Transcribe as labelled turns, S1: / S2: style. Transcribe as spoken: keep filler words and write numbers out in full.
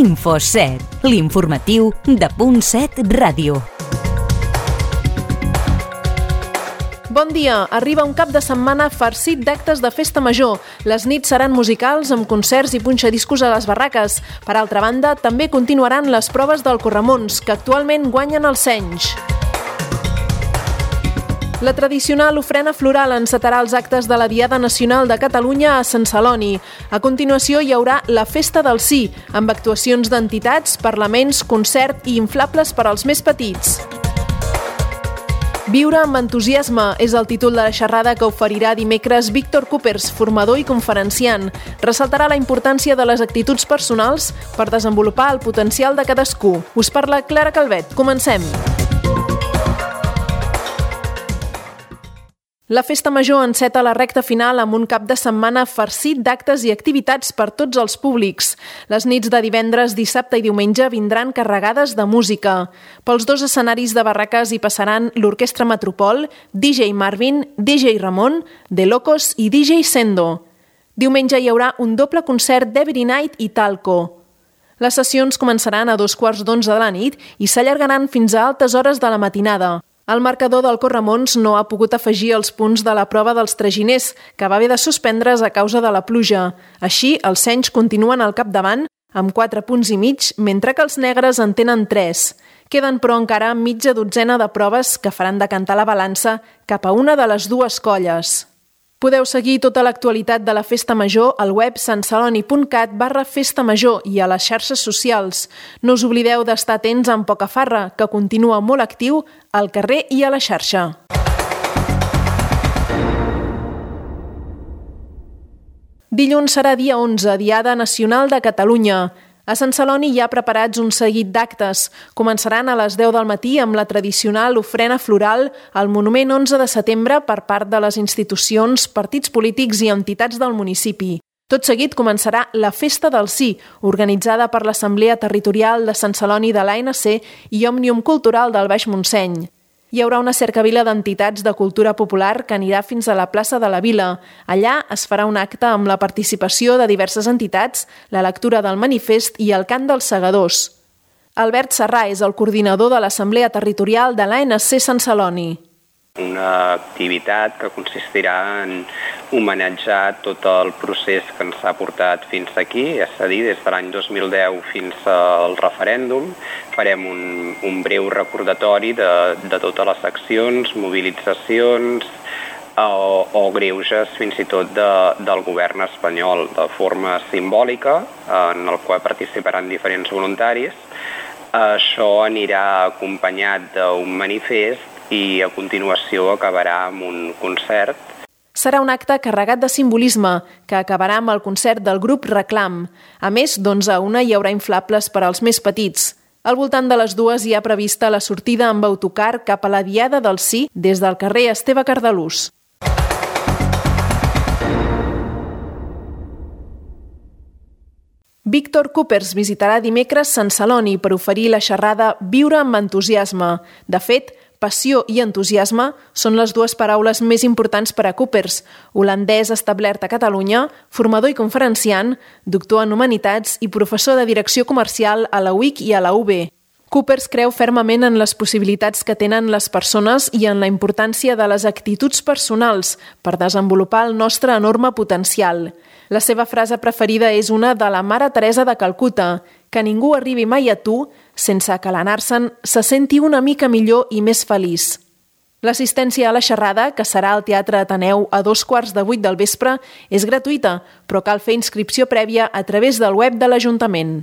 S1: Info set, l'informatiu de Punt set Ràdio.
S2: Bon dia, arriba un cap de setmana farcit d'actes de festa major. Les nits seran musicals amb concerts i punxadiscos a les barraques. Per altra banda, també continuaran les proves del Corremons, que actualment guanyen els Senys. La tradicional ofrena floral encetarà els actes de la Diada Nacional de Catalunya a Sant Celoni. A continuació hi haurà la Festa del Sí, amb actuacions d'entitats, parlaments, concert i inflables per als més petits. Viure amb entusiasme és el títol de la xerrada que oferirà dimecres Víctor Coopers, formador i conferenciant. Ressaltarà la importància de les actituds personals per desenvolupar el potencial de cadascú. Us parla Clara Calvet. Comencem! La Festa Major enceta la recta final amb un cap de setmana farcit d'actes i activitats per tots els públics. Les nits de divendres, dissabte i diumenge vindran carregades de música. Pels dos escenaris de barraques hi passaran l'Orquestra Metropol, D J Marvin, D J Ramon, The Locos i D J Sendo. Diumenge hi haurà un doble concert d'Every Night i Talco. Les sessions començaran a dos quarts d'onze de la nit i s'allargaran fins a altes hores de la matinada. El marcador del Corremons no ha pogut afegir els punts de la prova dels traginers, que va haver de suspendre's a causa de la pluja. Així, els Senys continuen al capdavant amb quatre punts i mig, mentre que els negres en tenen tres. Queden, però, encara mitja dotzena de proves que faran decantar la balança cap a una de les dues colles. Podeu seguir tota l'actualitat de la Festa Major al web santceloni.cat barra Festa Major i a les xarxes socials. No us oblideu d'estar atents amb Pocafarra, que continua molt actiu al carrer i a la xarxa. Dilluns serà dia onze, Diada Nacional de Catalunya. A Sant Celoni hi ha preparats un seguit d'actes. Començaran a les deu del matí amb la tradicional ofrena floral al Monument onze de setembre per part de les institucions, partits polítics i entitats del municipi. Tot seguit començarà la Festa del Sí, organitzada per l'Assemblea Territorial de Sant Celoni de l'A N C i Òmnium Cultural del Baix Montseny. Hi haurà una cercavila d'entitats de cultura popular que anirà fins a la plaça de la Vila. Allà es farà un acte amb la participació de diverses entitats, la lectura del manifest i el cant dels segadors. Albert Serrà és el coordinador de l'Assemblea Territorial de l'A N C Sant Celoni.
S3: Una activitat que consistirà en homenatjar tot el procés que ens ha portat fins aquí, és a dir, des de l'any dos mil deu fins al referèndum. Farem un, un breu recordatori de, de totes les accions, mobilitzacions o, o greuges fins i tot de, del govern espanyol, de forma simbòlica, en el qual participaran diferents voluntaris. Això anirà acompanyat d'un manifest i a continuació acabarà amb un concert.
S2: Serà un acte carregat de simbolisme, que acabarà amb el concert del grup Reclam. A més, d'onze a una hi haurà inflables per als més petits. Al voltant de les dues hi ha prevista la sortida amb autocar cap a la Diada del Sí des del carrer Esteve Cardelús. Víctor Coopers visitarà dimecres Sant Celoni per oferir la xerrada Viure amb entusiasme. De fet, passió i entusiasme són les dues paraules més importants per a Coopers, holandès establert a Catalunya, formador i conferenciant, doctor en Humanitats i professor de Direcció Comercial a la U I C i a la U B. Coopers creu fermament en les possibilitats que tenen les persones i en la importància de les actituds personals per desenvolupar el nostre enorme potencial. La seva frase preferida és una de la Mare Teresa de Calcuta, que ningú arribi mai a tu sense que l'anar-se'n se senti una mica millor i més feliç. L'assistència a la xerrada, que serà al Teatre Ateneu a dos quarts de vuit del vespre, és gratuïta, però cal fer inscripció prèvia a través del web de l'Ajuntament.